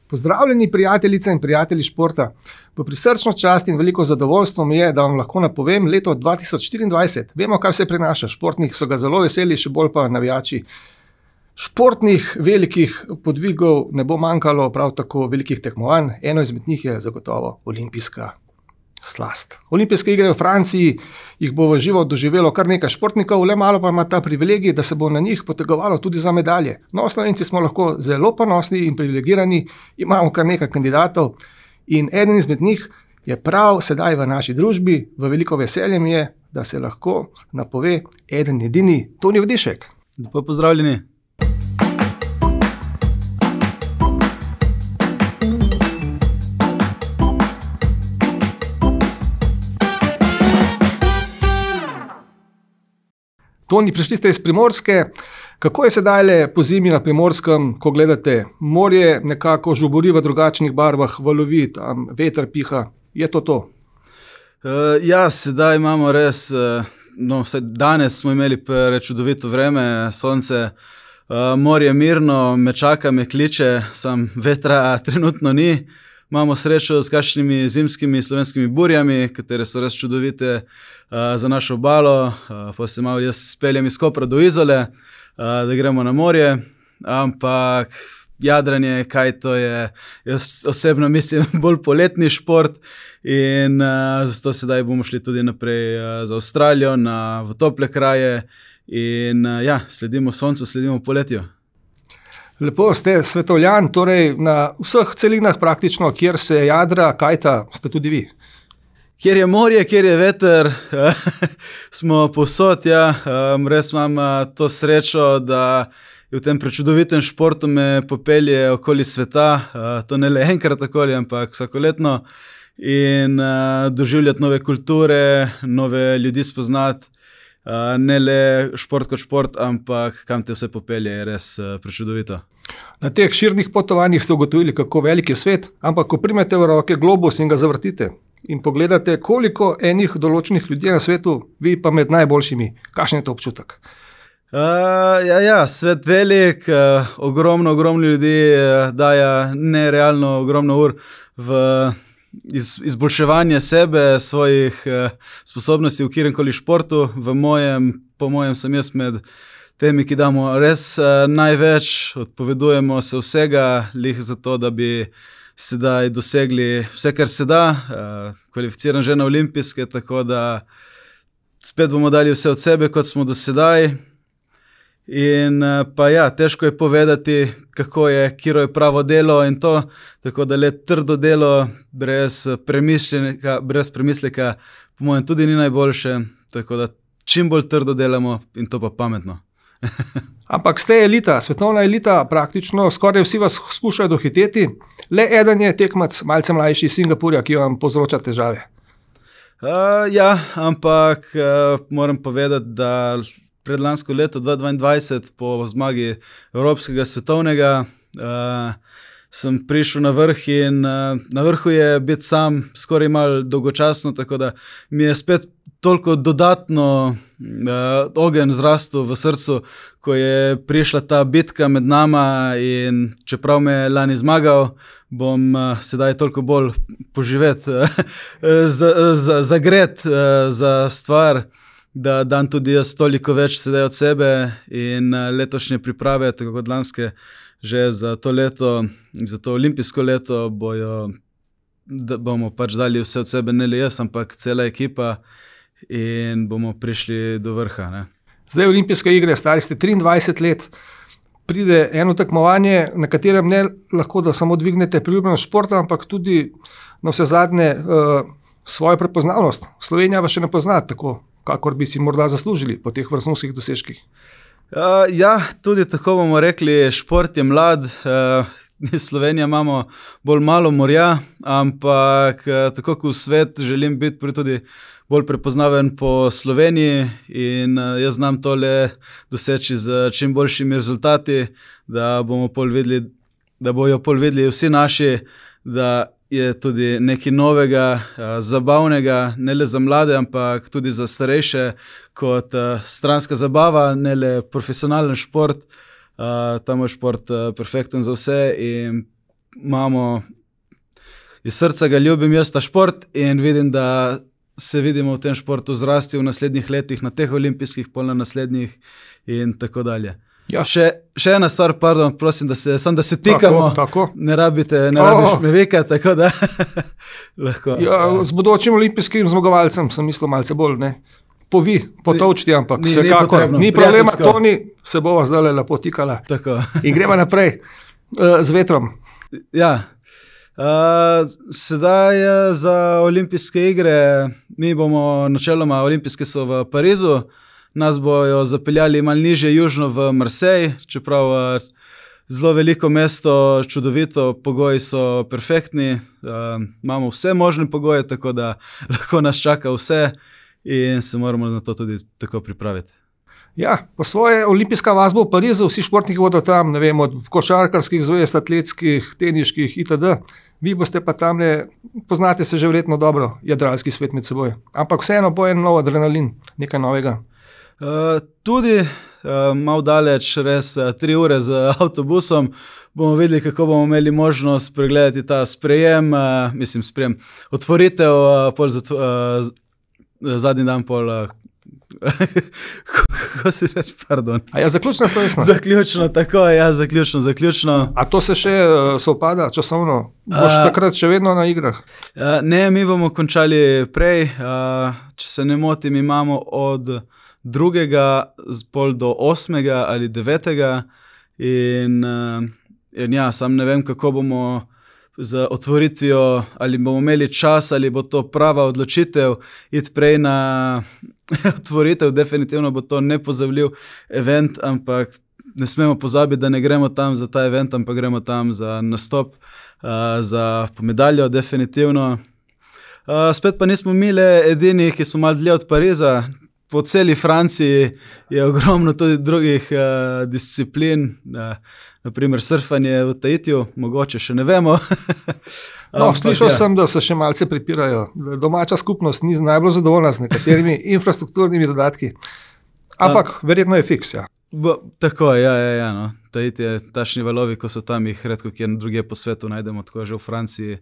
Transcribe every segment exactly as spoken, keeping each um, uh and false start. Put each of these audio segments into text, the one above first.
Pozdravljeni prijateljice in prijatelji športa. V prisrčno čast in veliko zadovoljstvo mi je, da vam lahko napovem leto dva tisoč štiriindvajset. Vemo, kaj vse prinaša. Športnih so ga zelo veseli, še bolj pa navijači. Športnih velikih podvigov ne bo manjkalo, prav tako velikih tekmovanj. Eno izmed njih je zagotovo olimpijska slast. Olimpijske igre v Franciji jih bo v živo doživelo kar nekaj športnikov, le malo pa ima ta privilegij, da se bo na njih potegovalo tudi za medalje. No, Slovenci smo lahko zelo ponosni in privilegirani, imamo kar nekaj kandidatov in eden izmed njih je prav sedaj v naši družbi. V veliko veselje mi je, da se lahko napove eden edini Toni Vdišek. Lepo pozdravljeni. Toni, prišli ste iz Primorske. Kako je sedaj po zimi na Primorskem, ko gledate morje, nekako žubori v drugačnih barvah, valovi, tam veter piha? Je to to? Uh, ja, sedaj imamo res, uh, no, vsaj danes smo imeli čudovito vreme, sonce, uh, morje mirno, me čaka, me kliče, sam vetra trenutno ni. Imamo srečo s kakšnimi zimskimi slovenskimi burjami, katere so res čudovite uh, za našo obalo. Uh, pa se malo jaz speljem iz Kopra do Izole, uh, da gremo na morje, ampak jadranje, kaj to je, jaz osebno mislim, bolj poletni šport in uh, zato sedaj bomo šli tudi naprej uh, za Avstralijo, na, v tople kraje in uh, ja, sledimo soncu, sledimo poletju. Lepo, ste svetovljan, torej na vseh celinah praktično, kjer se jadra, kajta, ste tudi vi. Kjer je morje, kjer je veter, smo povsod, ja. Res imam to srečo, da v tem prečudovitem športu me popelje okoli sveta, to ne le enkrat okoli, ampak vsakoletno in doživljati nove kulture, nove ljudi spoznati. Uh, ne le šport kot šport, ampak kam te vse popelje, je res uh, prečudovito. Na teh širnih potovanjih ste ugotovili, kako velik je svet, ampak ko primete v roke globus in ga zavrtite in pogledate, koliko enih določenih ljudi na svetu, vi pa med najboljšimi, kakšen je to občutek? Uh, ja, ja, svet velik, uh, ogromno, ogromno ljudi uh, daja nerealno ogromno ur v Iz, izboljševanje sebe, svojih eh, sposobnosti v kjerkoli športu. V mojem, po mojem sem jaz med temi, ki damo res eh, največ, odpovedujemo se vsega, lih za to, da bi sedaj dosegli vse, kar se da, eh, kvalificiran že na olimpijske, tako da spet bomo dali vse od sebe, kot smo do sedaj. In pa ja, težko je povedati, kako je, kiro je pravo delo in to, tako da le trdo delo brez premišljenega, brez premisleka, po mojem tudi ni najboljše, tako da čim bolj trdo delamo in to pa pametno. Ampak ste elita, svetovna elita, praktično skoraj vsi vas skušajo dohiteti, le eden je tekmac malce mlajši iz Singapurja, ki vam povzroča težave. Uh, ja, ampak uh, moram povedati, da predlansko leto dva tisoč dvaindvajset po zmagi evropskega svetovnega uh, sem prišel na vrh in uh, na vrhu je biti sam skoraj malo dolgočasno, tako da mi je spet toliko dodatno uh, ogenj zrastel v srcu, ko je prišla ta bitka med nama in čeprav me je lani zmagal, bom uh, sedaj toliko bolj poživeti, uh, zagret uh, za stvar, da dam tudi jaz toliko več sedaj od sebe in letošnje priprave, tako kot lanske, že za to leto, za to olimpijsko leto bojo, da bomo pač dali vse od sebe, ne le jaz, ampak cela ekipa in bomo prišli do vrha. Ne. Zdaj olimpijske igre, stari ste triindvajset let, pride eno tekmovanje, na katerem ne lahko da samo dvignete priljubljenost športa, ampak tudi na vse zadnje uh, svojo prepoznavnost. Slovenija vas še ne pozna tako, kakor bi si morda zaslužili po teh vrhunskih dosežkih. Uh, ja, tudi tako bomo rekli, šport je mlad, uh, Slovenija imamo bolj malo morja, ampak uh, tako kot v svet želim biti tudi bolj prepoznaven po Sloveniji in uh, jaz znam tole doseči z čim boljšimi rezultati, da bomo pol videli, da bojo pol videli vsi naši, da je tudi nekaj novega, zabavnega, ne le za mlade, ampak tudi za starejše, kot stranska zabava, ne le profesionalen šport. Ta moj šport perfekten za vse in imamo, iz srca ga ljubim jaz ta šport in vidim, da se vidimo v tem športu zrasti v naslednjih letih, na teh olimpijskih, pol na naslednjih in tako dalje. Ja. Še, še ena stvar, pardon, prosim, da se, sam, da se tikamo, tako, tako. ne rabite, ne rabiš Oh. me vikati, tako da lahko. Ja, z bodočim olimpijskim zmagovalcem sem mislil malce bolj, ne. Povi, potovčti, ampak ni- ni vsekakor, potrebno, ni problema, prijateljsko. Toni, se bova zdaj lepo tikala. Tako. In gremo naprej uh, z vetrom. Ja. Uh, sedaj uh, za olimpijske igre, mi bomo načeloma, olimpijske so v Parizu, nas bojo zapeljali malo nižje južno v Marseille, čeprav uh, zelo veliko mesto, čudovito, pogoji so perfektni, uh, imamo vse možne pogoje, tako da lahko nas čaka vse in se moramo na to tudi tako pripraviti. Ja, po svoje olimpijska vas bo v Parizu, vsi športniki bodo tam, ne vem, od košarkarskih zvezd, atletskih, teniških itd. Vi boste pa tam, poznate se že verjetno dobro, jadralski svet med seboj. Ampak vseeno bo en nov adrenalin, nekaj novega. Uh, tudi uh, malo daleč, res uh, tri ure z avtobusom, bomo videli, kako bomo imeli možnost pregledati ta sprejem, uh, mislim sprejem, otvoritev, uh, pol zatv, uh, zadnji dan pol, uh, kako si reč, pardon. A ja, zaključna slovesnost. Zaključno, tako je, ja, zaključno, zaključno. A to se še uh, sovpada časovno? Boš A- takrat še vedno na igrah? Uh, ne, mi bomo končali prej, uh, če se ne motim, imamo od drugega z pol do osmega ali devetega in, uh, in ja, sam ne vem, kako bomo z otvoritvijo, ali bomo imeli čas, ali bo to prava odločitev, iti prej na otvoritev, definitivno bo to nepozabljiv event, ampak ne smemo pozabiti, da ne gremo tam za ta event, ampak gremo tam za nastop, uh, za medaljo, definitivno. Uh, spet pa nismo mi le edini, ki smo malo dlje od Pariza. Po celi Franciji je ogromno tudi drugih uh, disciplin, uh, naprimer surfanje v Tahitiju, mogoče še ne vemo. No, Ampak slišal ja. sem, da se še malce pripirajo. Domača skupnost ni najbolj zadovoljna z nekaterimi infrastrukturnimi dodatki. Ampak verjetno je fiks, ja. Bo, tako je, ja, ja, ja, no. Tahiti je tašni valovi, ko so tam jih redko kjer drugje po svetu najdemo, tako že v Franciji,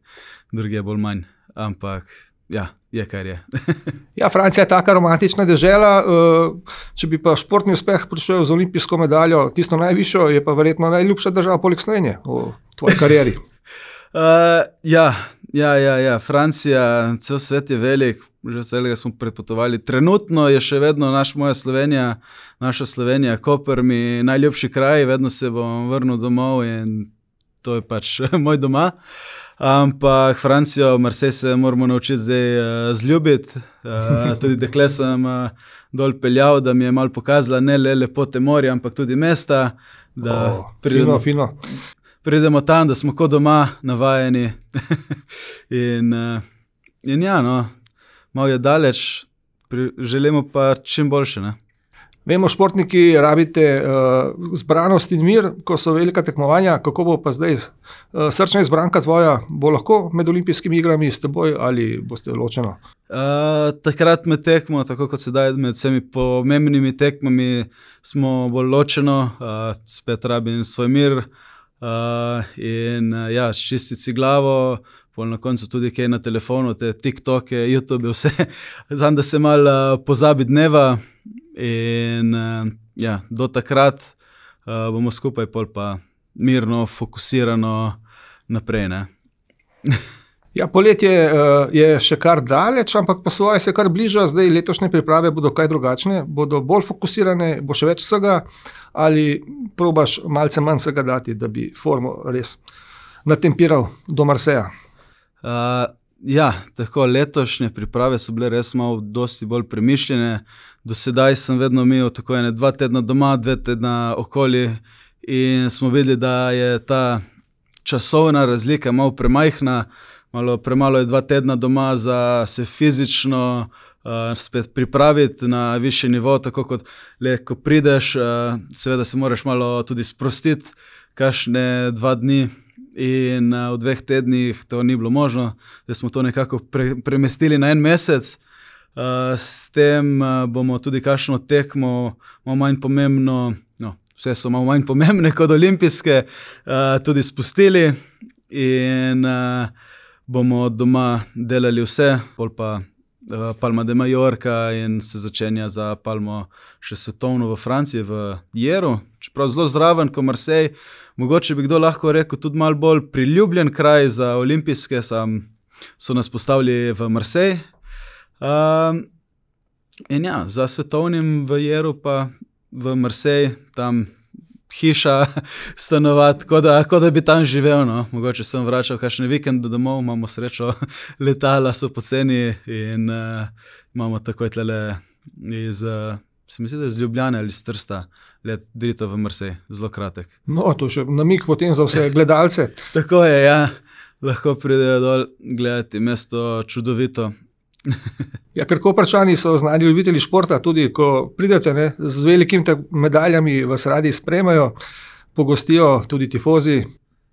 drugje bolj manj. Ampak ja, je kar je. Ja, Francija je taka romantična dežela, uh, če bi pa športni uspeh prišel z olimpijsko medaljo, tisto najvišjo, je pa verjetno najljubša država poleg Slovenije v tvoji karieri. Uh, ja, ja, ja, ja, Francija, cel svet je velik, že celega smo prepotovali. Trenutno je še vedno naš, moja Slovenija, naša Slovenija, Koper, mi najljubši kraj, vedno se bom vrnil domov in to je pač moj doma. Ampak Francijo, Marseille se moramo naučiti zdaj uh, zljubiti. Uh, tudi dekle sem uh, dol peljal, da mi je malo pokazala ne le lepote morja, ampak tudi mesta. Da Oh, fino, fino. pridemo tam, da smo kot doma, navajeni. in, uh, in ja, no, malo je daleč, pri, želimo pa čim boljše. Ne? Vemo, športniki rabite uh, zbranost in mir, ko so velika tekmovanja. Kako bo pa zdaj? Uh, srčna izbranka tvoja bo lahko med olimpijskimi igrami s teboj ali boste ločeno? Uh, takrat med tekmo, tako kot sedaj med vsemi pomembnimi tekmami, smo bolj ločeno, uh, spet rabim svoj mir uh, in uh, ja, čistiti si glavo, pol na koncu tudi kaj na telefonu, te TikToke, YouTube, vse, znam, da se malo uh, pozabi dneva in uh, ja, do takrat uh, bomo skupaj pol pa mirno, fokusirano naprej, ne. Ja, poletje uh, je še kar daleč, ampak po svoje se kar bliža. Zdaj letošnje priprave bodo kaj drugačne, bodo bolj fokusirane, bo še več vsega ali probaš malce manj vsega dati, da bi formo res natempiral do Marseja? Uh, ja, tako letošnje priprave so bile res malo dosti bolj premišljene. Do sedaj sem vedno imel tako ene dva tedna doma, dve tedna okoli in smo videli, da je ta časovna razlika malo premajhna, malo premalo je dva tedna doma za se fizično uh, spet pripraviti na višji nivo, tako kot le, ko prideš, uh, seveda se moraš malo tudi sprostiti, kakšne dva dni. In uh, v dveh tednih to ni bilo možno, da smo to nekako pre, premestili na en mesec. Uh, s tem uh, bomo tudi kakšno tekmo, malo manj pomembno, no, vse so malo manj pomembne kot olimpijske, uh, tudi spustili in uh, bomo doma delali vse, pol pa uh, Palma de Mallorca in se začenja za Palmo še svetovno v Franciji, v Jeru, čeprav zelo zraven, ko Marseille, mogoče bi kdo lahko rekel tudi malo bolj priljubljen kraj za olimpijske, sam so nas postavili v Marseille. Uh, in ja, za svetovnim v Jeru pa v Marseille, tam hiša, stanovati, kot da, ko da bi tam živel. No. Mogoče sem vračal kakšne vikende domov, imamo srečo, letala so poceni in uh, imamo takoj tlele iz, uh, se mi zdi, da iz Ljubljane ali iz Trsta, let drito v Marseille, zelo kratek. No, to še namig potem za vse gledalce. Tako je, ja. Lahko pridejo dol gledati, mesto čudovito. Ja, ker Koprčani so znani ljubitelji športa, tudi ko pridete, ne, z velikimi medaljami vas radi spremajo, pogostijo tudi tifozi.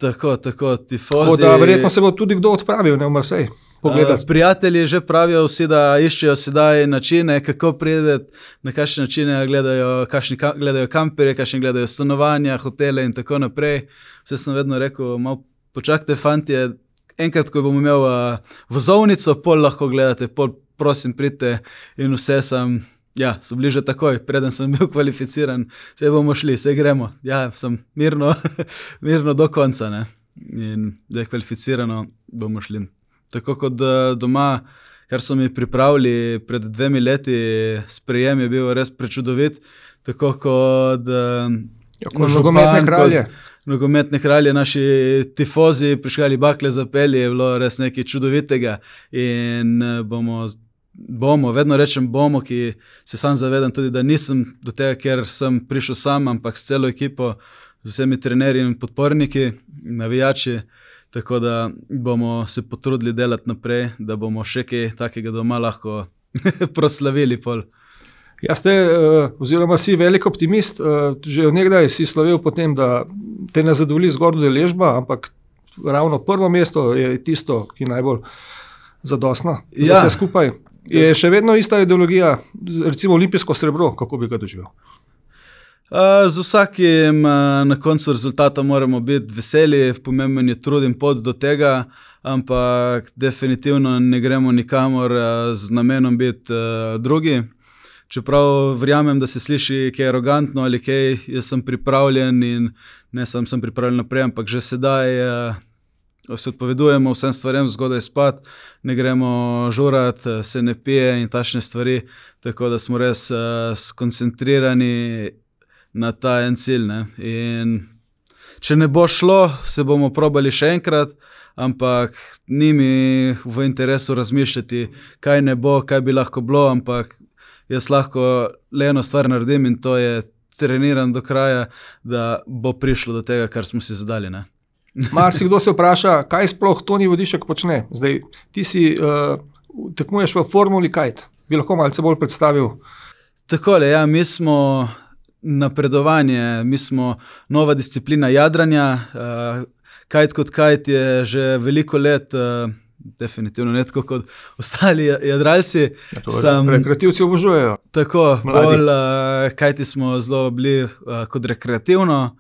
Tako, tako, tifozi. Tako da verjetno se bo tudi kdo odpravil, ne, v Marseille pogledati. Uh, prijatelji že pravijo vsi, da iščejo sedaj načine, kako prideti, na kakšne načine gledajo, kakšni ka, gledajo kamperje, kakšni gledajo stanovanja, hotele in tako naprej. Vse sem vedno rekel, malo počakajte, fantje, enkrat, ko bom imel uh, vozovnico, pol lahko gledate, pol prosim pridite in vse sem, ja, so bili že takoj, preden sem bil kvalificiran, vse bomo šli, vse gremo, ja, sem mirno, mirno do konca, ne, in da je kvalificirano, bomo šli. Tako kot uh, doma, kar so mi pripravili pred dvemi leti, sprejem je bil res prečudovit, tako kot uh, ja, kot nogometne kralje. Nogometne kralje, naši tifozi, prišli bakle zapeli, je bilo res nekaj čudovitega in bomo, bomo, vedno rečem bomo, ki se sam zavedam tudi, da nisem do tega, ker sem prišel sam, ampak s celo ekipo, z vsemi trenerji in podporniki, navijači, tako da bomo se potrudili delati naprej, da bomo še kaj takega doma lahko proslavili pol. Ja, ste, oziroma si velik optimist, že od nekdaj si slovel potem, da te ne zadovolji zgolj udeležba, ampak ravno prvo mesto je tisto, ki je najbolj zadostno za vse skupaj. Je še vedno ista ideologija, recimo olimpijsko srebro, kako bi ga doživel? Z vsakim na koncu rezultata moramo biti veseli, pomemben je trud in pot do tega, ampak definitivno ne gremo nikamor z namenom biti drugi. Čeprav verjamem, da se sliši kaj arogantno ali kaj, jaz sem pripravljen in ne sam sem pripravljen naprej, ampak že sedaj uh, se odpovedujemo vsem stvarem, zgodaj spat, ne gremo žurat, se ne pije in tašne stvari, tako da smo res uh, skoncentrirani na ta en cilj. Ne? In če ne bo šlo, se bomo probali še enkrat, ampak ni mi v interesu razmišljati, kaj ne bo, kaj bi lahko bilo, ampak jaz lahko le eno stvar naredim in to je treniran do kraja, da bo prišlo do tega, kar smo si zadali. Ne? Marsikdo se vpraša, kaj sploh Toni Vodišek počne. Zdaj, ti si uh, tekmuješ v formuli kite. Bi lahko malce bolj predstavil? Takole, ja, mi smo napredovanje, mi smo nova disciplina jadranja. Uh, kite kot kite je že veliko let uh, definitivno ne tako kot ostali jadralci. Ja, Sam, rekreativci obožujejo. Tako, bolj, uh, kajti smo zelo bili uh, kot rekreativno,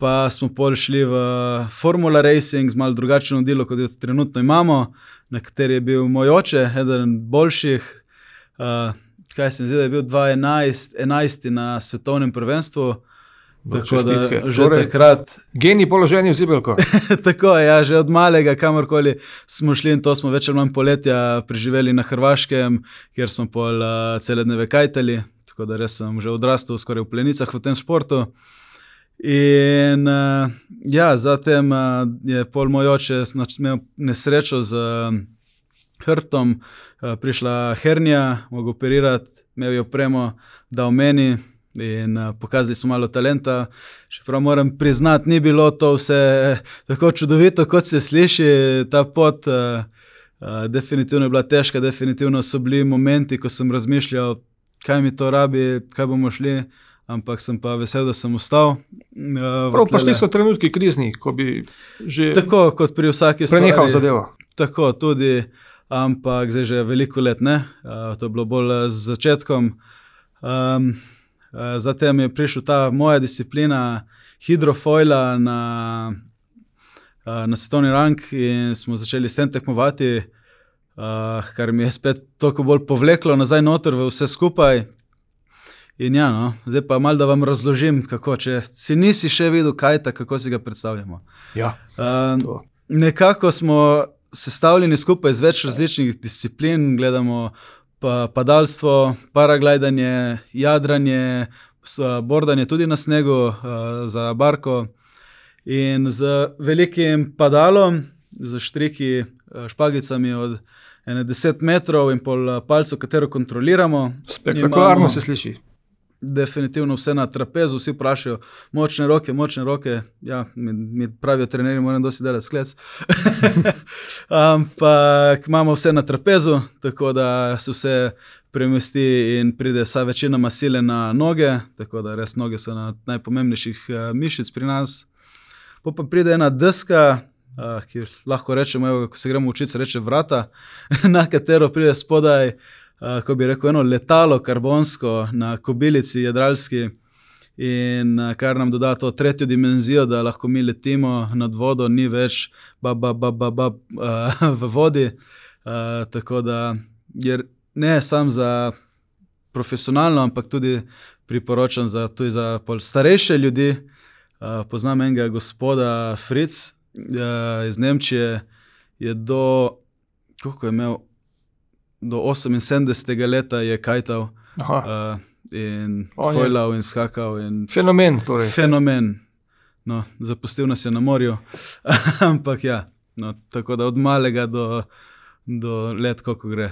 pa smo pol šli v Formula Racing z malo drugačno delo, kot jo trenutno imamo, na kateri je bil moj oče, eden boljših, uh, kaj se mi zdi, da je bil dva tisoč enajst na svetovnem prvenstvu. Tako da že torej, takrat geni položeni v zibelko. Tako je, ja, že od malega, kamorkoli smo šli in to smo več ali manj poletja preživeli na Hrvaškem, kjer smo pol uh, cele dneve kajtali, tako da res sem že odrastel skoraj v plenicah v tem športu. In uh, ja, zatem uh, je pol moj oče imel nesrečo z uh, hrbtom, uh, prišla hernija, mogel operirati, imel je opremo, dal meni, in uh, pokazali smo malo talenta, čeprav moram priznati, ni bilo to vse tako čudovito, kot se sliši, ta pot uh, uh, definitivno je bila težka, definitivno so bili momenti, ko sem razmišljal, kaj mi to rabi, kaj bomo šli, ampak sem pa vesel, da sem ostal. Uh, Prav pa šli so trenutki krizni, ko bi že tako, kot pri vsaki prenehal zadevo. Tako, tudi, ampak zdaj že veliko let ne, uh, to je bilo bolj z začetkom. Um, Zatem je prišla ta moja disciplina hidrofoila na uh, na svetovni rang in smo začeli s tem tekmovati, uh, kar mi je spet toliko bolj povleklo nazaj noter v vse skupaj. In ja, no, zdaj pa malo da vam razložim, kako, če si nisi še videl kajta, kako si ga predstavljamo. Ja, uh, nekako smo sestavljeni skupaj iz več različnih disciplin, gledamo pa padalstvo, paraglidanje, jadranje, bordanje tudi na snegu uh, za barko in z velikim padalom, z štriki, špagicami od ene deset metrov in pol palcev, katero kontroliramo. Spektakularno se sliši. Definitivno vse na trapezu, vsi vprašajo, močne roke, močne roke, ja, mi, mi pravijo trenerji, moram dosti delati sklec. Ampak imamo vse na trapezu, tako da se vse premesti in pride vsa večina masile na noge, tako da res noge so na najpomembnejših mišic pri nas. Po pa pride ena deska, ki lahko rečemo, evo, ko se gremo učiti, se reče vrata, na katero pride spodaj, Uh, ko bi rekel, eno letalo karbonsko na kobilici jadralski in uh, kar nam doda to tretjo dimenzijo, da lahko mi letimo nad vodo, ni več ba, ba, ba, ba, ba, uh, v vodi. Uh, tako da je ne samo za profesionalno, ampak tudi priporočam za, tudi za pol starejše ljudi. Uh, poznam enega gospoda Fritz uh, iz Nemčije, je do, koliko je imel, do oseminsedemdesetega leta je kajtal uh, in fojlal in skakal. In fenomen torej. Fenomen. No, zapustil nas je na morju, ampak ja, no, tako da od malega do, do let, koliko gre.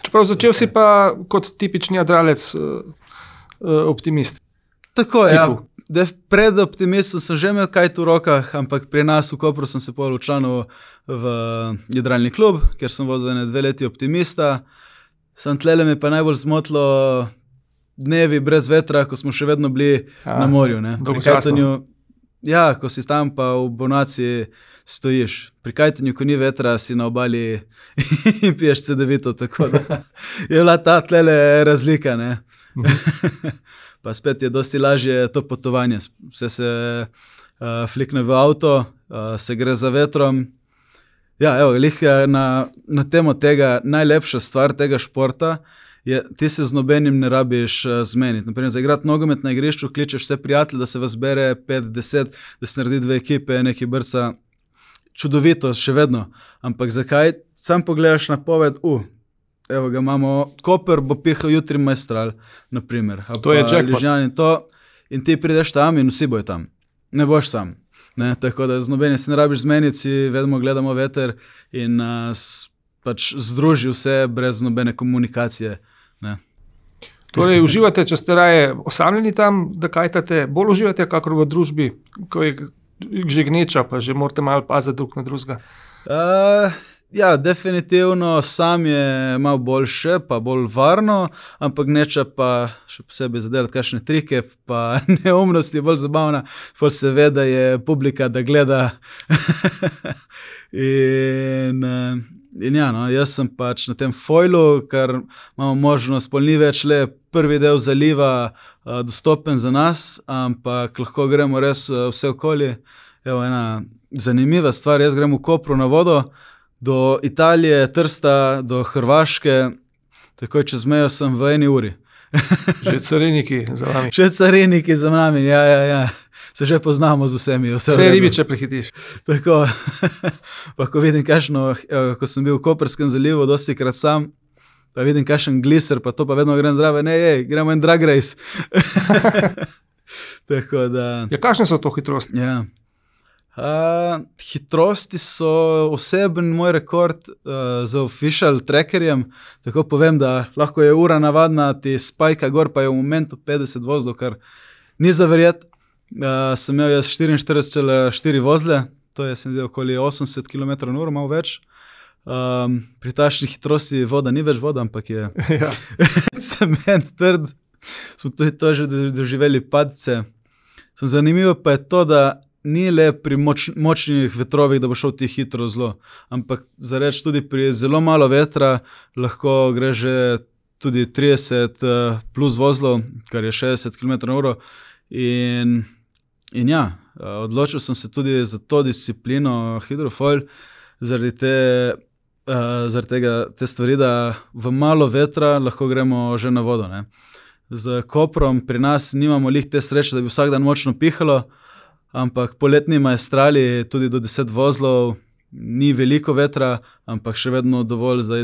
Čeprav začel si pa kot tipični jadralec uh, uh, optimist. Tako, ja. Pred optimistom sem že imel kajt v rokah, ampak pri nas v Kopru sem se pol včlanil v jadralni klub, ker sem vozil ene dve leti optimista. Sam tlele mi pa najbolj zmotilo dnevi brez vetra, ko smo še vedno bili A, na morju. Ne. Pri kajtanju, ja, ko si tam pa v Bonaciji stojiš. Pri kajtanju, ko ni vetra, si na obali in piješ cedevito, tako da je bila ta tlele razlika, ne. Pa spet je dosti lažje to potovanje. Vse se uh, flikne v avto, uh, se gre za vetrom. Ja, evo, lih na, na temo tega, najlepša stvar tega športa je, ti se z nobenim ne rabiš uh, zmeniti. Naprimer, za igrati nogomet na igrišču, kličeš vse prijatelje, da se vas bere pet, deset, da se naredi dve ekipe, neki brca. Čudovito, še vedno. Ampak zakaj? Sam pogledaš na poved, uh, evo ga imamo, Koper bo pihal jutri Maestral, naprimer. To je jackpot. In ti prideš tam in vsi bojo tam. Ne boš sam. Ne? Tako da z nobenim se ne rabiš zmeniti, si vedno gledamo veter in nas pač združi vse brez nobene komunikacije. Ne? Torej, uživate, če ste raje osamljeni tam, da kajtate, bolj uživate kakor v družbi, ko je že gneča, pa že morate malo paziti drug na drugega? Uh, Ja, definitivno sam je malo boljše, pa bolj varno, ampak gneča pa še posebej zadelati kakšne trike, pa neumnosti je bolj zabavna, pol se ve, da je publika, da gleda. in, in ja, no, jaz sem pač na tem foilu, ker imamo možnost, pol ni več le prvi del zaliva uh, dostopen za nas, ampak lahko gremo res uh, vse okoli. Evo, ena zanimiva stvar, jaz grem v Kopru na vodo, do Italije, Trsta, do Hrvaške, tako čez mejo sem v eni uri. Že cariniki za nami. Že cariniki za nami, ja, ja, ja. Se že poznamo z vsemi. Vse, vse ribiče prehitiš. Tako, pa ko vidim kakšno, ko sem bil v Koprskem zalivu, dosti krat sam, pa vidim kakšen gliser, pa to pa vedno grem zraven, ne, ej, gremo en drag race. Tako da... Ja, kakšne so to hitrosti? Ja. Uh, hitrosti so oseben moj rekord uh, z official trackerjem, tako povem, da lahko je ura navadna, ti spajka gor, pa je v momentu petdeset vozlov, kar ni za verjet. Uh, sem imel jaz štiriinštirideset cela štiri vozle, to je sem zdaj okoli osemdeset kilometrov na uro, malo več. Um, pri tašni hitrosti voda ni več voda, ampak je ja. Cement trd. Smo tudi to že doživeli padce. Sem zanimivo pa je to, da ni le pri moč, močnih vetrovih, da bo šel ti hitro zlo, ampak za reč tudi pri zelo malo vetra lahko gre že tudi trideset plus vozlov, kar je šestdeset kilometrov na uro in, in ja, Odločil sem se tudi za to disciplino hidrofoil, zaradi, te, zaradi tega, te stvari, da v malo vetra lahko gremo že na vodo. Ne. Z Koprom pri nas nimamo lih te sreče, da bi vsak dan močno pihalo, ampak poletni maestrali tudi do deset vozlov, ni veliko vetra, ampak še vedno dovolj za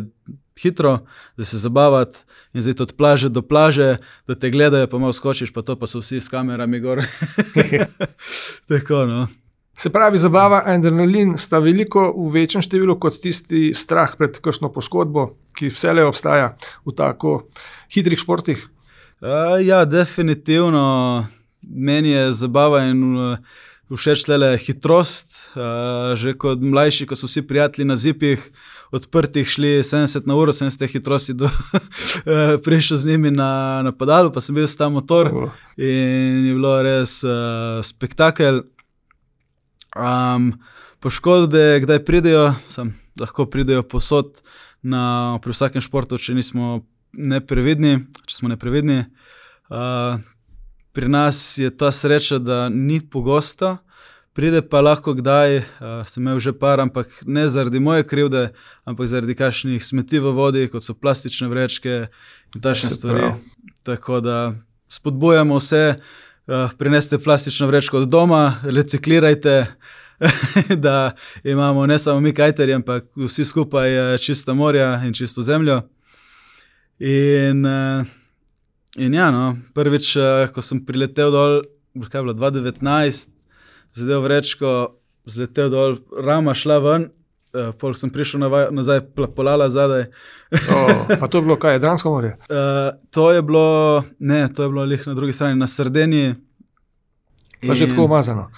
hitro, da se zabavati in zdaj od plaže do plaže, da te gledajo, pa malo skočiš, pa to pa so vsi s kamerami gor. Tako, no. Se pravi, zabava in adrenalin sta veliko v večjem številu kot tisti strah pred kakšno poškodbo, ki vselej obstaja v tako hitrih športih. Uh, ja, definitivno. Meni je zabava in uh, všeč tele hitrost. Uh, že kot mlajši, ko so vsi prijatelji na zipih odprtih šli sedemdeset na uro, sem z te hitrosti do, uh, prišel z njimi na, na padalu, pa sem bil s ta motor uh. in je bilo res uh, spektakel. Um, poškodbe, kdaj pridejo, sam, lahko pridejo posod na, pri vsakem športu, če nismo neprevidni, če smo neprevidni. Uh, pri nas je ta sreča, da ni pogosto, pride pa lahko kdaj, uh, sem imel že par, ampak ne zaradi moje krivde, ampak zaradi kakšnih smeti v vodi, kot so plastične vrečke in takšne stvari. Tako da spodbujamo vse, uh, prineste plastično vrečko od doma, reciklirajte, da imamo ne samo mi kajterji, ampak vsi skupaj čista morja in čisto zemljo. In, in ja, no, prvič, ko sem priletel dol, kaj je bilo, dva tisoč devetnajst, zadev vrečko, zletel dol, rama šla ven, pol sem prišel nazaj, polala zadaj. Oh, pa to je bilo kaj, Jadransko morje? Uh, to je bilo, ne, to je bilo lih na drugi strani, na Sardiniji. Pa že tako umazano?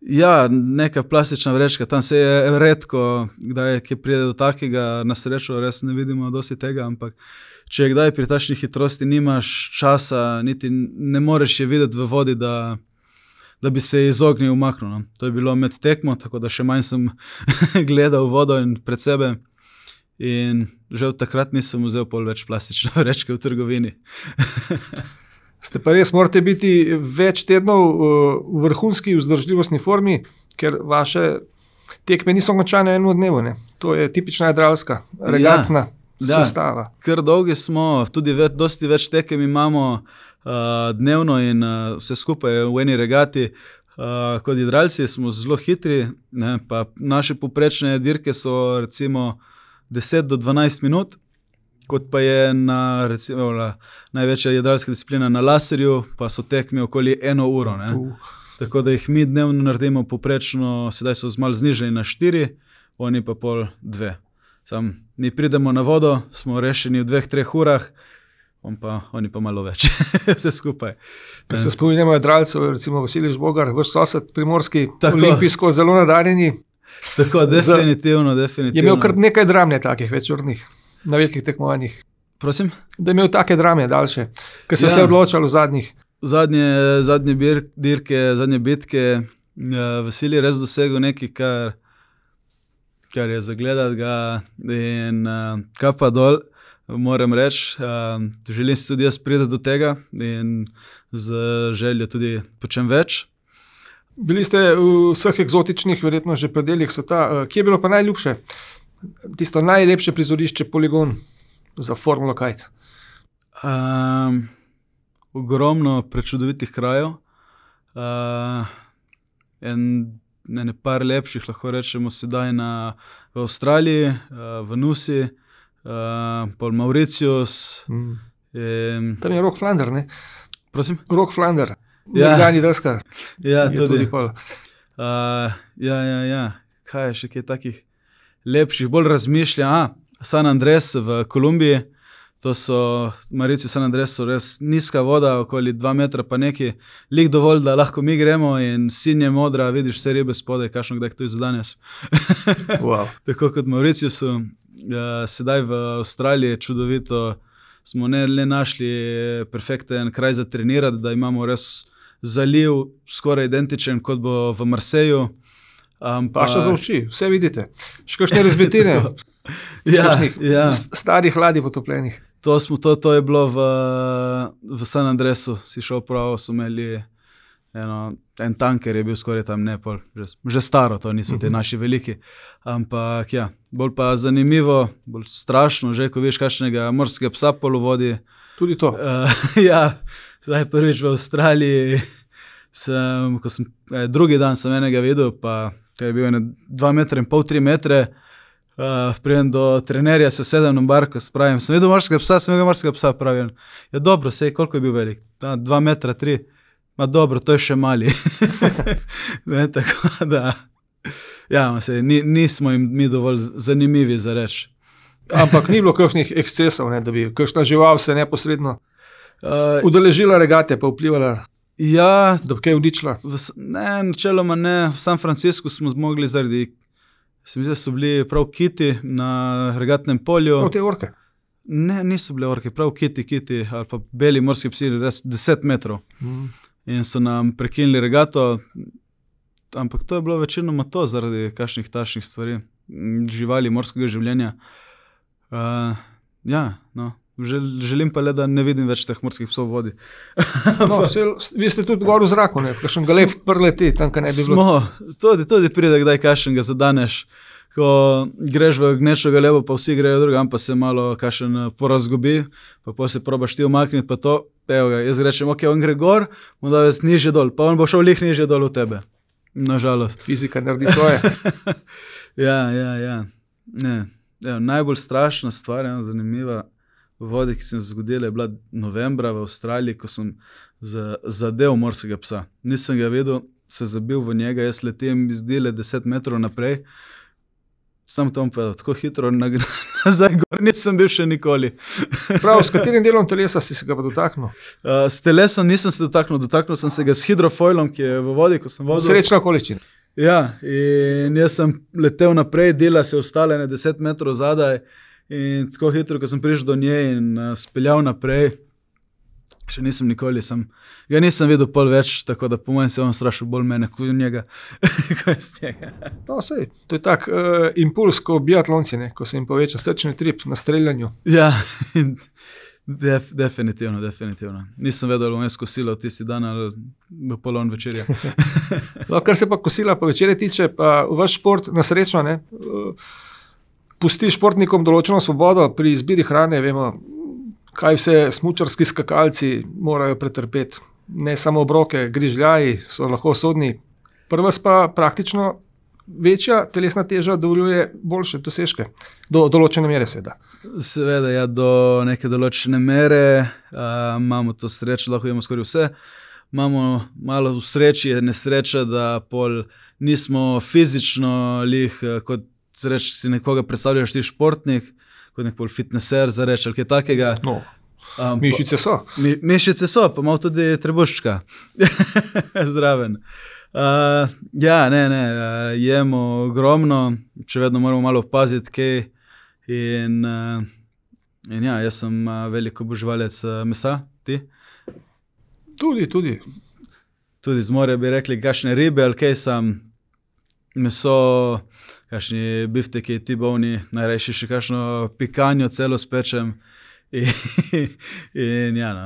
Ja, neka plastična vrečka, tam se je redko, kdaj je pride do takega, na srečo res ne vidimo dosti tega, ampak če kdaj pri takšni hitrosti nimaš časa, niti ne moreš je videti v vodi, da, da bi se izognil umaknil. No. To je bilo med tekmo, tako da še manj sem gledal vodo in pred sebe in že od takrat nisem vzel pol več plastične vrečke v trgovini. Ste pa res, morate biti več tednov v vrhunski vzdržljivostni formi, ker vaše tekme niso končane v enem dnevu. Ne? To je tipična jadralska, regatna ja, sestava. Da, ker dolgi smo, tudi več, dosti več tekem imamo uh, dnevno in uh, vse skupaj v eni regati. Uh, kot jadralci smo zelo hitri, ne? Pa naše poprečne dirke so recimo deset do dvanajst minut. Kot pa je na, recimo, največja jadralska disciplina na laserju, pa so tekmi okoli eno uro. Ne? Uh. Tako da jih mi dnevno naredimo poprečno, sedaj so malo znižali na štiri, oni pa pol dve. Sam, mi pridemo na vodo, smo rešeni v dveh, treh urah, on pa, oni pa malo več, vse skupaj. Ko se spominjamo jadralcev, recimo Vasilij Žbogar, vaš sosed primorski, tako, olimpijsko zelo nadarjeni. Tako, definitivno, definitivno. Je imel kar nekaj dramne takih večurnih. Na velikih tekmovanjih. Prosim? Da je imel take drame daljše, ker se je ja. vse odločalo v zadnjih. Zadnje, zadnje bir, dirke, zadnje bitke, ja, Vasilij res dosegel nekaj, kar, kar je zagledati ga in uh, kapa dol, moram reči. Uh, želim si tudi jaz priti do tega in z željo tudi počem več. Bili ste v vseh eksotičnih, verjetno že predeljih sveta. Uh, kje je bilo pa najljubše? Tisto najlepše prizorišče, poligon za Formulo Kite? Um, ogromno prečudovitih krajev. Uh, en, ne, ne par lepših, lahko rečemo sedaj na, v Avstraliji, uh, v Nusi, uh, pol Mauritius. Mm. In, tam je Rock Flander, ne? Prosim? Rock Flander, ja. Nekdani deskar. Ja, tudi. tudi uh, ja, ja, ja. Kaj je še kaj takih lepših, bolj razmišlja. A, San Andres v Kolumbiji, to so, Mauritius, San Andres so res nizka voda, okoli dva metra pa neki, lik dovolj, da lahko mi gremo in sinje modra, vidiš vse ribe spodaj, kakšno kdaj to je za danes. Wow. Tako kot Mauritiusu, uh, sedaj v Avstraliji čudovito, smo ne le našli perfekten kraj za trenirati, da imamo res zaliv skoraj identičen, kot bo v Marseju. Um, pa še za oči, vse vidite. Še kakšne razbitine, ja, ja. starih ladij potopljenih. To, smo, to, to je bilo v, v San Andresu, si šel prav, so imeli eno, en tanker je bil skoraj tam, ne, pol, že, že staro, to niso ti naši veliki. Ampak ja, bolj pa zanimivo, bolj strašno, že ko vidiš kakšnega morskega psa pol v vodi. Tudi to. Uh, ja, zdaj prvič v Avstraliji, sem, ko sem, eh, drugi dan sem enega videl, pa je bil ene dva metra in pol, tri metre. Uh, Prijem do trenerja, se sedem na barko, spravim, sem videl morskega psa, sem videl morskega psa, pravim. Ja, dobro, sej, koliko je bil velik? Da, dva metra, tri. Ma dobro, to je še mali. Ne, tako da, ja, sej, ni, nismo jim mi dovolj zanimivi za reč. Ampak ni bilo kakšnih ekscesov, ne, da bi kakšna žival se neposredno Uh, udeležila regate, pa vplivala, ja, da bi kaj vdičila. v, s- ne, načeloma ne, v San Franciscu smo zmogli zaradi, se mi zdi, da so bili prav kiti na regatnem polju. Prav te orke. Ne, niso bile orke, prav kiti, kiti ali pa beli morski psi, res deset metrov. Mm. In so nam prekinili regato, ampak to je bilo večinoma to zaradi kakšnih takšnih stvari, m, živali, morskega življenja. Uh, ja, no, žel, želim pa le, da ne vidim več teh morskih psov v vodi. No, vse, vi ste tudi gor v zraku, ne, kakšen galeb prleti, tam, kaj ne bi bilo. Smo, tudi, tudi pride, kdaj kašen ga zadaneš, ko greš v gnečo galebo, pa vsi grejo drugam, pa se malo kašen eh, porazgubi, pa potem se probaš ti umakniti, pa to, evo ga, jaz rečem, ok, on gre gor, mu da več nižje dol, pa on bo šel lih nižje dol v tebe. Nažalost. Fizika naredi svoje. Ja, ja, ja. Ne. Evo, najbolj strašna stvar, ena zanimiva v vodi, ki se je zgodila, je bila novembra v Avstraliji, ko sem za, zadev morskega psa. Nisem ga videl, se zabil v njega, jaz letem iz dile deset metrov naprej. Sam to bom povedal, tako hitro nag- nazaj gor nisem bil še nikoli. Prav, s katerim delom telesa si se ga pa dotaknil? Uh, s telesom nisem se dotaknil, dotaknil sem se ga s hidrofoilom, ki je v vodi, ko sem vozil. Srečna okoliščina. Ja, in jaz sem letel naprej, dela se ostale na deset metrov zadaj in tako hitro, ko sem prišel do nje in uh, speljal naprej, še nisem nikoli, sem, ga nisem videl pol več, tako da po mojem se je on strašil bolj mene kot njega. Ko je z njega. No, sej, to je tak uh, impuls, ko biatlonci, ne, ko se jim poveča srčni trip na streljanju. Ja, in def, definitivno, definitivno. Nisem vedel, ali bom jaz kosila v tisti dan ali v polon večerja. No, kar se pa kosila pa večere tiče, pa vaš šport na srečo, ne, uh, pusti športnikom določeno svobodo pri izbiri hrane, vemo, kaj vse smučarski skakalci morajo pretrpeti. Ne samo obroke, grižljaji so lahko sodni. Pri vas pa praktično večja telesna teža dovoljuje boljše dosežke. Do določene mere seveda. Seveda, ja, do neke določene mere uh, imamo to srečo, lahko imamo skoraj vse. Imamo malo v sreči, je nesreča, da pol nismo fizično lih, uh, kot reč, si nekoga predstavljaš ti športnik, kot nek pol fitneser za reč ali kaj takega. No, Um, mišice so. Mi, mišice so, pa malo tudi trebuščka. Zraven. Uh, ja, ne, ne, uh, jemo ogromno, še vedno moramo malo paziti, kaj. In, uh, in ja, jaz sem uh, velik oboževalec uh, mesa, ti. Tudi, tudi. Tudi z morja bi rekli, kakšne ribe ali kaj sam. Meso, kakšni bifteki, tibovni, najrajši še kakšno pikanjo celo spečem. In, in ja, no,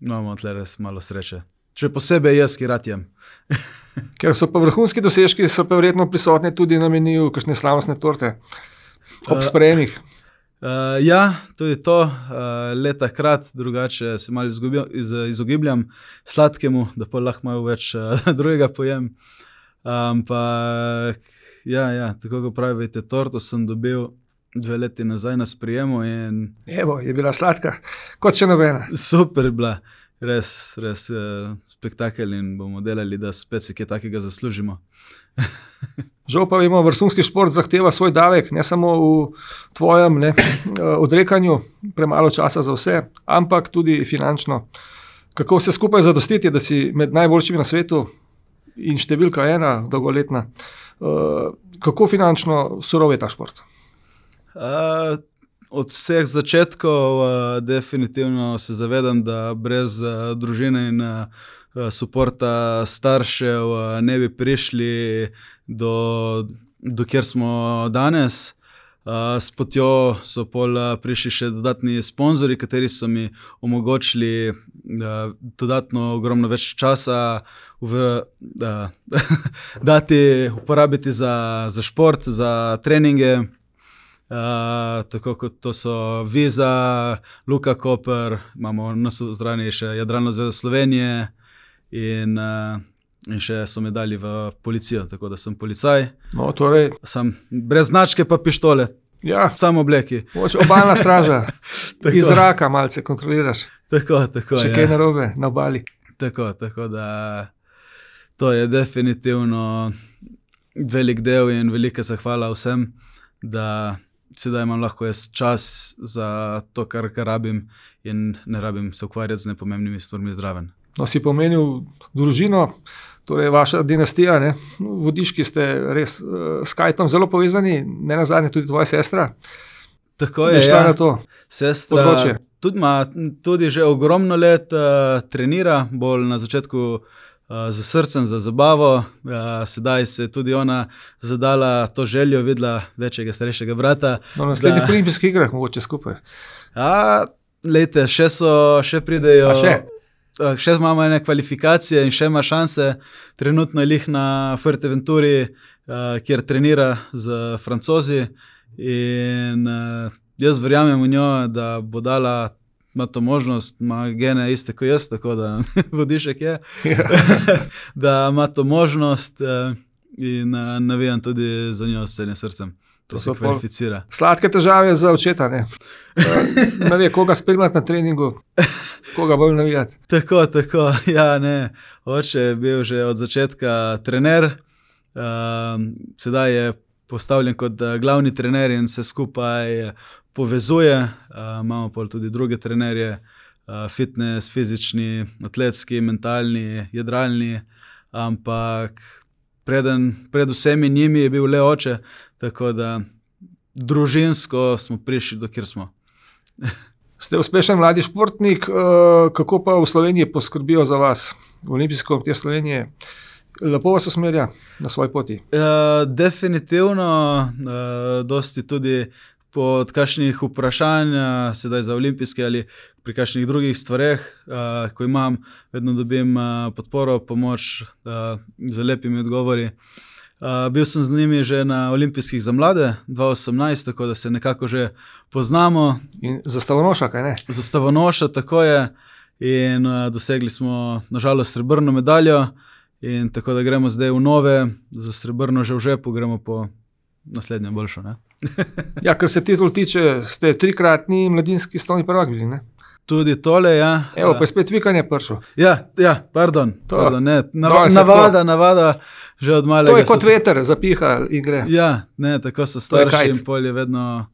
imamo tle res malo sreče. Še posebej jaz, ki rad jem. Ker so pa vrhunski dosežki, so pa verjetno prisotni tudi na meniju kakšne slavnostne torte ob Uh, sprejemih. Uh, ja, tudi to, uh, leta krat, drugače se malo izgubim, iz, izogibljam sladkemu, da pa lahko malo več uh, drugega pojem. Ampak, ja, ja, tako kot pravite, torto sem dobil dve leti nazaj na sprijemu in Evo, je bila sladka, kot še nobena. super je bila, res, res uh, spektakel in bomo delali, da spet si kaj takega zaslužimo. Žal pa vemo, vrhunski šport zahteva svoj davek, ne samo v tvojem ne, odrekanju, premalo časa za vse, ampak tudi finančno. Kako vse skupaj zadostiti, da si med najboljšimi na svetu in številka ena, dolgoletna. Uh, kako finančno surov je ta šport? Uh, od vseh začetkov uh, definitivno se zavedam, da brez uh, družine in uh, suporta staršev uh, ne bi prišli do, do kjer smo danes. Uh, s potjo so pol uh, prišli še dodatni sponzorji, kateri so mi omogočili uh, dodatno ogromno več časa v, uh, dati uporabiti za, za šport, za treninge. Uh, tako kot to so Viza, Luka Koper, imamo nas v zdrani še Jadralno zvezo Slovenije in uh, In še so me dali v policijo, tako da sem policaj. No, torej... Sem brez značke pa pištole. Ja. Samo obleki. Obalna straža. Iz zraka malce kontroliraš. Tako, tako. Še ja. kaj narobe na obali. Tako, tako da to je definitivno velik del in velika zahvala vsem, da sedaj imam lahko jaz čas za to, kar, kar rabim in ne rabim se ukvarjati z nepomembnimi stvarmi zraven. No, si pomenil družino, torej vaša dinastija, ne? Vodiški ste res uh, s Kajtom zelo povezani, ne nazadnje tudi tvoja sestra. Tako je, ja. Na to sestra tudi, ima, tudi že ogromno let uh, trenira, bolj na začetku uh, za srcem, za zabavo. Uh, sedaj se tudi ona zadala to željo, videla večjega, starejšega brata. No, na naslednjih da... olimpijskih igrah mogoče skupaj. A, lejte, še so, še pridejo... A še? Še imamo ene kvalifikacije in še ima šanse. Trenutno je lih na Fuerteventuri, uh, kjer trenira z Francozi in uh, jaz verjamem v njo, da bo dala ima to možnost, ima gene iste kot jaz, tako da vodišek je, da ima to možnost uh, in uh, navijam tudi za njo s celim srcem. To, to se kvalificira. Sladke težave za očeta, ne? Ne ve, koga spremljati na treningu, koga bolj navijati. Tako, tako, ja, ne. Oče je bil že od začetka trener, uh, sedaj je postavljen kot glavni trener in se skupaj povezuje. Uh, imamo pa tudi druge trenerje, uh, fitness, fizični, atletski, mentalni, jadralni, ampak preden, pred vsemi njimi je bil le oče, tako da družinsko smo prišli do kjer smo. Ste uspešen mladi športnik, kako pa v Sloveniji poskrbijo za vas, v Olimpijski komite Slovenije? Lepo vas usmerja na svoji poti? Uh, definitivno, uh, dosti tudi pod kakšnih vprašanj, sedaj za olimpijske ali pri kakšnih drugih stvareh, uh, ko imam, vedno dobim uh, podporo, pomoč uh, z lepimi odgovori. Uh, bil sem z njimi že na olimpijskih za mlade dva tisoč osemnajst, tako da se nekako že poznamo. In za stavonoša, kaj ne? Za stavonoša, tako je. In uh, dosegli smo nažalost srebrno medaljo in tako da gremo zdaj v nove, za srebrno že v žepu, gremo po naslednje boljšo. Ne? Ja, kar se titul tiče, ste trikratni mladinski stolni prvak bili, ne? Tudi tole, ja. Evo, pa je spet vikanje prišel. Ja, ja, pardon. To, pardon ne, nav, navada, navada, že od malega. To je kot so... veter, zapiha in gre. Ja, ne, tako so starši in pol je vedno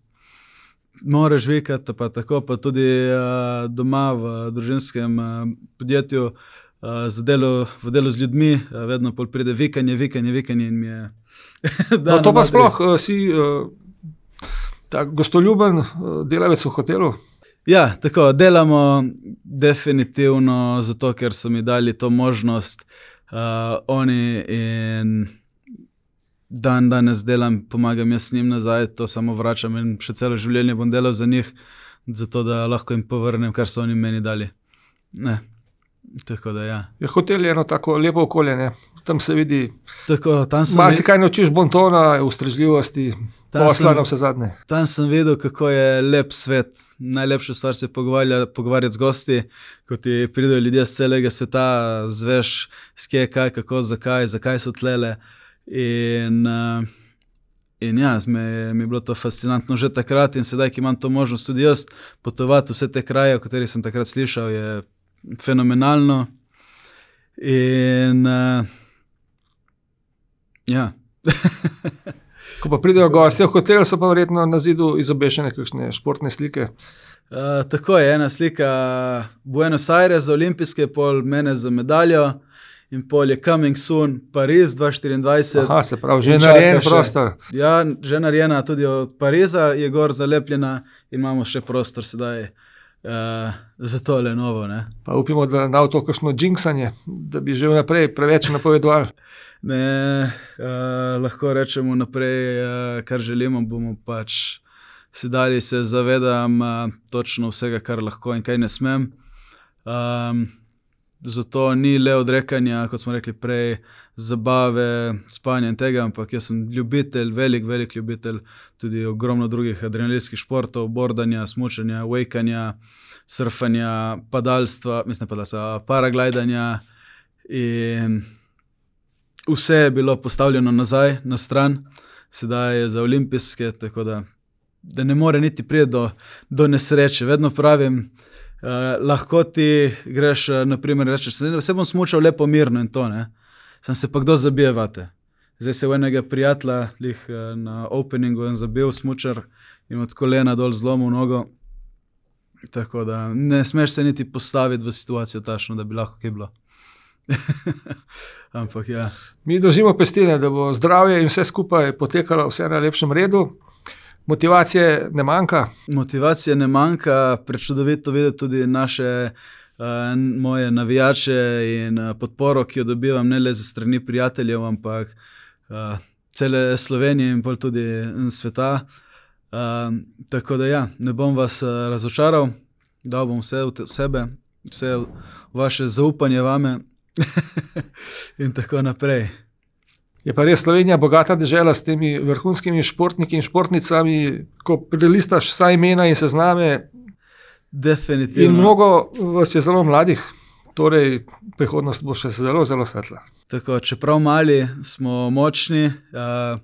moraš vikati, pa tako, pa tudi uh, doma v družinskem uh, podjetju, uh, za delo, v delu z ljudmi, uh, vedno pol pride vikanje, vikanje, vikanje in mi je... No, to pa sploh, uh, si uh, tak gostoljuben uh, delavec v hotelu? Ja, tako, delamo definitivno zato, ker so mi dali to možnost uh, oni in dan danes delam, pomagam jaz njim nazaj, to samo vračam in še celo življenje bom delal za njih, zato da lahko jim povrnem, kar so oni meni dali. Ne, tako da ja. Je hotel je eno tako lepo okolje, ne? Tam se vidi, tako, tam sem mar si kaj naučiš bontona, ustrežljivosti, posla na vse zadnje. Tam sem videl, kako je lep svet. Najlepša stvar se pogovarjati z gosti, ko ti pridejo ljudje z celega sveta, zveš, skje, kaj, kako, zakaj, zakaj so tlele. In, uh, in ja, mi, mi je bilo to fascinantno že takrat in sedaj, ki imam to možnost tudi jaz potovati vse te kraje, o katerih sem takrat slišal, je fenomenalno. In uh, ja. Ko pa pridejo gostje v hotel, so pa verjetno na zidu izobešene kakšne športne slike. Uh, tako je, ena slika Buenos Aires za olimpijske, pol mene za medaljo in pol je Coming Soon Pariz dva tisoč štiriindvajset. Aha, se pravi, že narejen prostor. Ja, že narejena tudi od Pariza, je gor zalepljena in imamo še prostor sedaj uh, za tole novo. Ne. Pa upimo, da ne bo to kakšno džinksanje, da bi že vnaprej preveč napovedovali. Ne, uh, lahko rečemo naprej, uh, kar želimo, bomo pač sedali se zavedam uh, točno vsega, kar lahko in kaj ne smem. Um, zato ni le odrekanja, kot smo rekli prej, zabave, spanja in tega, ampak jaz sem ljubitelj, velik, velik ljubitelj tudi ogromno drugih adrenalinskih športov, bordanja, smučanja, wakanja, surfanja, padalstva, mislim padalstva, paraglidanja in vse je bilo postavljeno nazaj, na stran, sedaj je za olimpijske, tako da, da ne more niti priti do, do nesreče. Vedno pravim, Uh, lahko ti greš, uh, naprimer, rečeš, se bom smučal lepo mirno in to, ne. Sam se pa kdo zabije vate. Zdaj se v enega prijatelja lih, uh, na openingu in zabil smučar in od kolena dol zlomil nogo. Tako da ne smeš se niti postaviti v situacijo tašno, da bi lahko kaj bilo. Ampak ja. Mi držimo pestine, da bo zdravje in vse skupaj potekalo vse na lepšem redu. Motivacije ne manjka? Motivacije ne manjka, prečudovito videti tudi naše, uh, moje navijače in uh, podporo, ki jo dobivam ne le za strani prijateljev, ampak uh, cele Slovenije in pol tudi sveta. Uh, tako da ja, ne bom vas uh, razočaral, dal bom vse v, te, v sebe, vse v vaše zaupanje vame in tako naprej. Je pa res Slovenija bogata dežela s temi vrhunskimi športniki in športnicami, ko prelistaš vsa imena in sezname. Definitivno. In mnogo vas je zelo mladih, torej prihodnost bo še zelo, zelo svetla. Tako, čeprav mali, smo močni. Uh,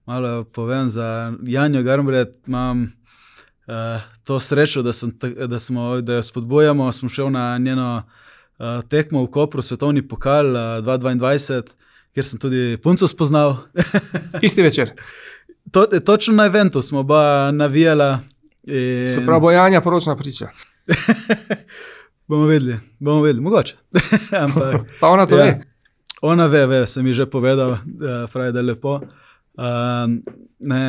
malo povem za Janjo Garnbret, imam uh, to srečo, da, sem, da, smo, da jo spodbujamo. Smo šel na njeno uh, tekmo v Kopru, svetovni pokal uh, dva tisoč dvaindvajset, kjer sem tudi punco spoznal. Isti večer. To, točno na eventu smo oba navijala. In... Se pravi, Bojanja poročna priča. bomo vedeli, bomo vedeli, mogoče. Ampak, pa ona to ja, ve? Ona ve, ve, sem ji že povedal, pravi, da je lepo. Uh, ne,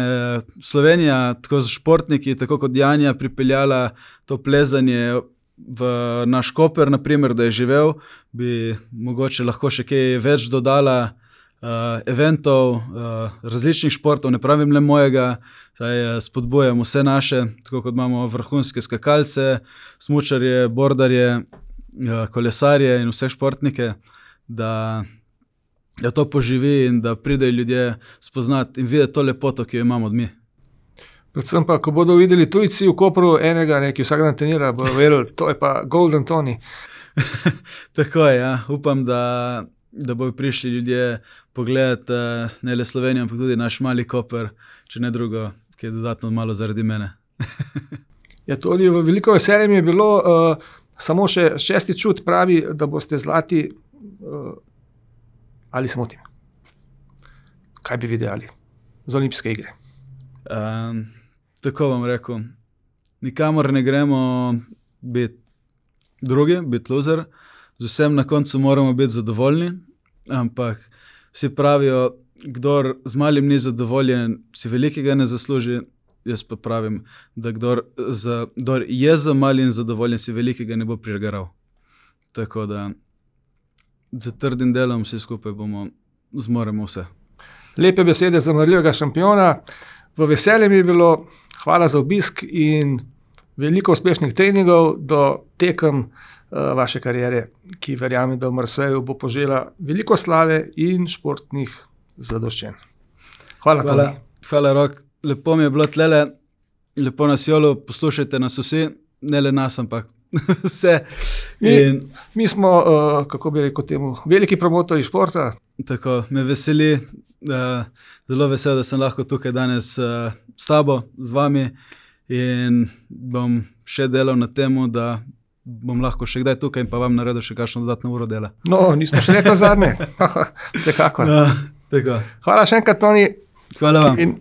Slovenija, tako z športniki, tako kot Janja, pripeljala to plezanje v naš Koper, naprimer, da je živel, bi mogoče lahko še kaj več dodala uh, eventov, uh, različnih športov, ne pravim le mojega, saj spodbujam vse naše, tako kot imamo vrhunske skakalce, smučarje, bordarje, uh, kolesarje in vse športnike, da, da to poživi in da pridejo ljudje spoznati in videti to lepoto, ki jo imamo od mi. Predvsem pa, ko bodo videli tujci v Kopru enega, ne, ki vsak dan trenira, bodo verjeli, to je pa Golden Tony. Tako je, ja. Upam, da, da bodo prišli ljudje pogledati ne le Slovenijo, ampak tudi naš mali Koper, če ne drugo, ki je dodatno malo zaradi mene. Ja, to je veliko veselje mi je bilo, uh, samo še šesti čut pravi, da boste zlati, uh, ali se motim? Kaj bi videli za olimpijske igre? Um, tako bom rekel, nikamor ne gremo biti drugi, biti loser, z vsem na koncu moramo biti zadovoljni, ampak vsi pravijo, kdor z malim ni zadovoljen, si velikega ne zasluži, jaz pa pravim, da kdor, za, kdor je za malim zadovoljen, si velikega ne bo prigaral. Tako da za trdim delom vsi skupaj bomo, zmoremo vse. Lepe besede za marljivega šampiona. V veselje mi je bilo, hvala za obisk in veliko uspešnih treningov do tekem uh, vaše kariere, ki verjamem, da v Marseju bo požela veliko slave in športnih zadoščenj. Hvala, hvala, Toni. Hvala, Rok. Lepo mi je bilo tlele, lepo nas jolo, poslušajte nas vsi, ne le nas, ampak vse. In... Mi, mi smo, uh, kako bi rekel temu, veliki promotori športa. Tako, me veseli. Uh, zelo vesel, da sem lahko tukaj danes uh, s tabo, z vami in bom še delal na temu, da bom lahko še kdaj tukaj in pa vam naredil še kakšno dodatno uro dela. No, nismo še rekli zadnje. Vsekakor. No, tako. Hvala še enkrat, Toni. Hvala vam. In